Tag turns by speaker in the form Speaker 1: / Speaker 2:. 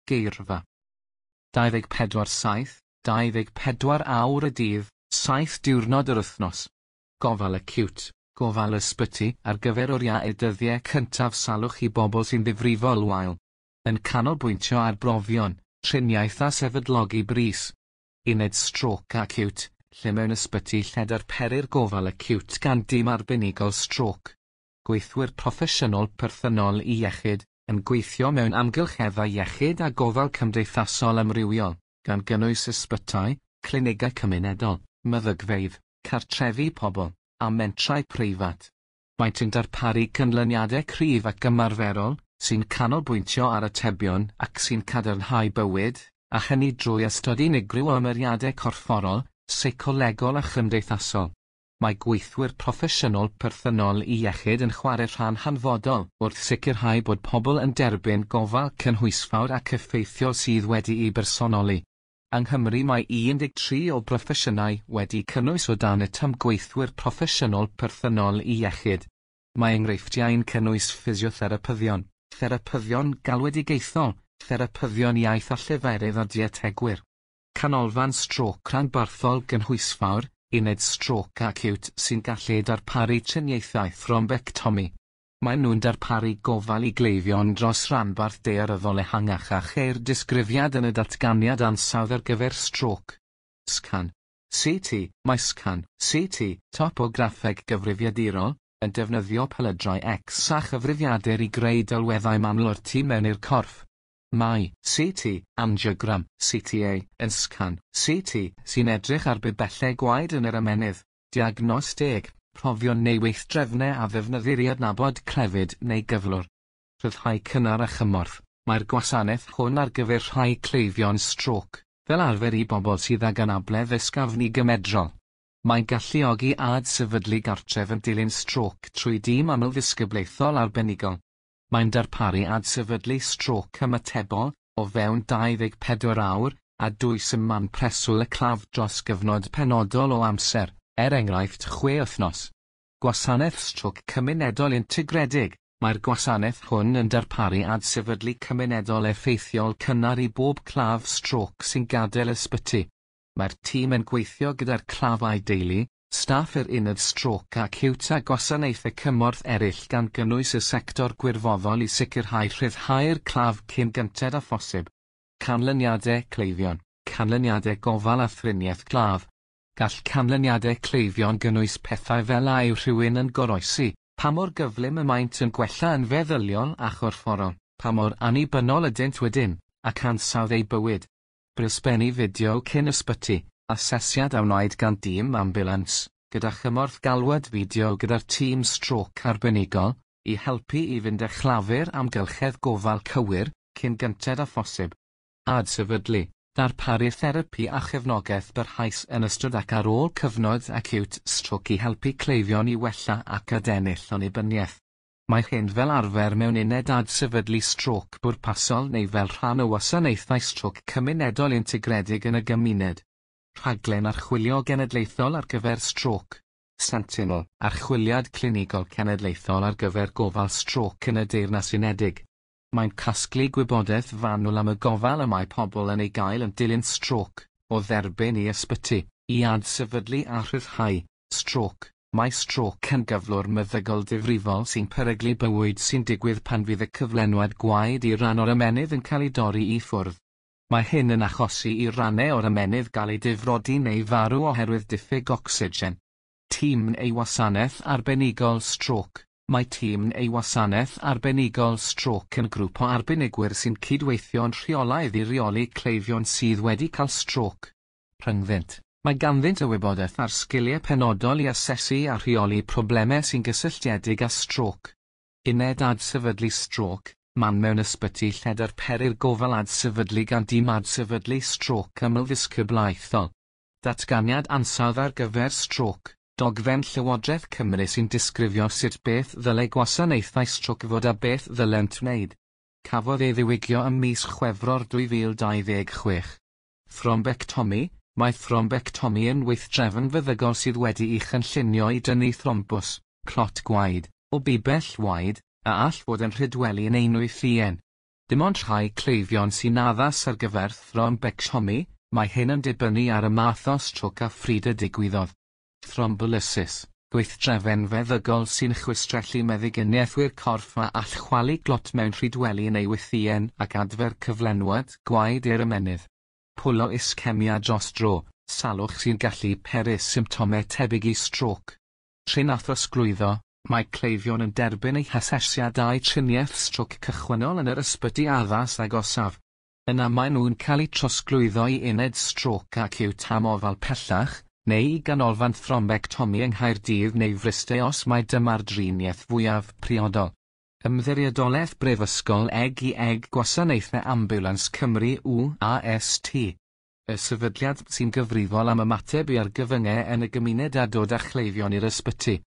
Speaker 1: Geirfa. 24 7, 24 awr y dydd, 7 diwrnod yr wythnos. Gofal acíwt, gofal ysbyty ar gyfer oriau dyddiau cyntaf salwch i bobl sy'n ddifrifol wael. Yn canolbwyntio ar brofion, triniaeth a sefydlogi brys. Uned strôc acíwt, lle mewn ysbyty lle darperir gofal acíwt gan dîm arbenigol strôc. Gweithwyr proffesiynol perthynol i iechyd, yn gweithio mewn amgylcheddau iechyd a gofal cymdeithasol amrywiol, gan gynnwys ysbytai, clinigau cymunedol, meddygfeydd, cartrefi pobl, a mentrau preifat. Maent yn darparu canlyniadau cryf ac ymarferol, sy'n canolbwyntio ar atebion ac sy'n cadarnhau bywyd, a hynny drwy ystod unigryw o ymyriadau corfforol, seicolegol a chymdeithasol. Mae gweithwyr proffesiynol perthynol i iechyd yn chwarae rhan hanfodol wrth sicrhau bod pobl yn derbyn gofal cynhwysfawr ac effeithiol sydd wedi'i bersonoli. Yng Nghymru mae 13 o broffesiynau wedi cynnwys o dan y term gweithwyr proffesiynol perthynol i iechyd. Mae enghreifftiau'n cynnwys ffisiotherapyddion, therapyddion galwedigaethol, therapyddion iaith a lleferydd a dietegwyr. Canolfan strôc rhanbarthol gynhwysfawr, uned strôc acíwt sy'n gallu darparu triniaethau thrombectomi. Maen nhw'n darparu gofal i gleifion dros ranbarth daearyddol ehangach a cheir disgrifiad yn y datganiad ansawdd ar gyfer strôc. Scan. CT, mae scan, CT, topograffeg gyfrifiadurol, yn defnyddio pelydrau X a chyfrifiadur i greu delweddau manwl o'r tu mewn i'r corff. Mae CT, angiogram, CTA, yn scan, CT, sy'n edrych ar bibellau gwaed yn yr ymennydd, diagnosteg, profion neu weithdrefnau a ddefnyddir i adnabod clefyd neu gyflwr. Rhyddhau cynnar a chymorth, mae'r gwasanaeth hwn ar gyfer rhai cleifion strôc, fel arfer i bobl sydd ag anabledd ysgafn i gymedrol. Mae'n galluogi adsefydlu gartref yn dilyn strôc trwy dîm amlddisgyblaethol arbenigol. Mae'n darparu adsefydlu strôc ymatebol, o fewn 24 awr, a dwys ym man preswyl y claf dros gyfnod penodol o amser, er enghraifft 6 wythnos. Gwasanaeth strôc cymunedol integredig, mae'r gwasanaeth hwn yn darparu adsefydlu cymunedol effeithiol cynnar i bob claf strôc sy'n gadael ysbyty. Mae'r tîm yn gweithio gyda'r claf a'i deulu, staff yr uned strôc acíwt a gwasanaethau cymorth eraill gan gynnwys y sector gwirfoddol i sicrhau rhyddhau'r claf cyn gynted â phosib. Canlyniadau cleifion, canlyniadau gofal a thriniaeth claf. Gall canlyniadau cleifion gynnwys pethau fel a yw rhywun yn goroesi, pa mor gyflym y maent yn gwella yn feddyliol a chorfforol, pa mor annibynnol ydynt wedyn, ac ansawdd eu bywyd. Brysbennu fideo cyn ysbyty, asesiad a wnaed gan dîm ambiwlans, gyda chymorth galwad fideo gyda'r tîm strôc arbenigol, i helpu i fynd â chlafur amgylchedd gofal cywir, cyn gynted â phosib. Adsefydlu, darparu therapi a chefnogaeth barhaus yn ystod ac ar ôl cyfnod acíwt strôc i helpu cleifion i wella ac adennill annibyniaeth. Mae hyn fel arfer mewn uned adsefydlu strôc bwrpasol neu fel rhan o wasanaethau strôc cymunedol integredig yn y gymuned. Rhaglen archwilio genedlaethol ar gyfer strôc. Sentinel, archwiliad clinigol cenedlaethol ar gyfer gofal strôc yn y Deyrnas Unedig. Mae'n casglu gwybodaeth fanwl am y gofal y mae pobl yn ei gael yn dilyn strôc, o dderbyn i ysbyty, i adsefydlu a rhyddhau. Strôc, mae strôc yn gyflwr meddygol difrifol sy'n peryglu bywyd sy'n digwydd pan fydd y cyflenwad gwaed i ran o'r ymennydd yn cael ei dorri i ffwrdd. Mae hyn yn achosi i rannau o'r ymennydd gael eu difrodi neu farw oherwydd diffyg ocsigen. Tîm neu wasanaeth arbenigol strôc. Mae tîm neu wasanaeth arbenigol strôc yn grŵp o arbenigwyr sy'n cydweithio'n rheolaidd i reoli cleifion sydd wedi cael strôc. Rhyngddynt, mae ganddynt y wybodaeth a'r sgiliau penodol i asesu a rheoli problemau sy'n gysylltiedig â strôc. Uned adsefydlu strôc, man mewn ysbyty lle darperir gofal adsefydlu gan dîm adsefydlu strôc amlddisgyblaethol. Datganiad ansawdd ar gyfer strôc, dogfen Llywodraeth Cymru sy'n disgrifio sut beth ddylai gwasanaethau strôc fod a beth ddylent wneud. Cafodd ei ddiwygio ym mis Chwefror 2026. Thrombectomi, mae thrombectomi yn weithdrefn feddygol sydd wedi'i chynllunio i dynnu thrombus, clot gwaed, o bibell waed, a all fod yn rhydweli yn einwythïen. Dim ond rhai cleifion sy'n addas ar gyfer thrombectomi, mae hyn yn dibynnu ar y math o strôc a phryd y digwyddodd. Thrombolysis, gweithdrefn feddygol sy'n chwistrellu meddyginiaethwyr corff a all chwalu glot mewn rhydweli neu wythïen ac adfer cyflenwad gwaed i'r ymennydd. Pwlo iscemia dros dro, salwch sy'n gallu peri symptomau tebyg i strôc. Trin a throsglwyddo, mae cleifion yn derbyn eu hasesiadau triniaeth strôc cychwynnol yn yr ysbyty addas agosaf. Yna maen nhw'n cael eu trosglwyddo i uned strôc acíwt am ofal pellach, neu i ganolfan thrombectomi yng Nghaerdydd neu Fryste os mai dyma'r driniaeth fwyaf priodol. Ymddiriedolaeth Brifysgol Eg i Eg Gwasanaethau Ambiwlans Cymru UAST. Y sefydliad sy'n gyfrifol am ymateb i argyfyngau yn y gymuned a dod â chleifion i'r ysbyty.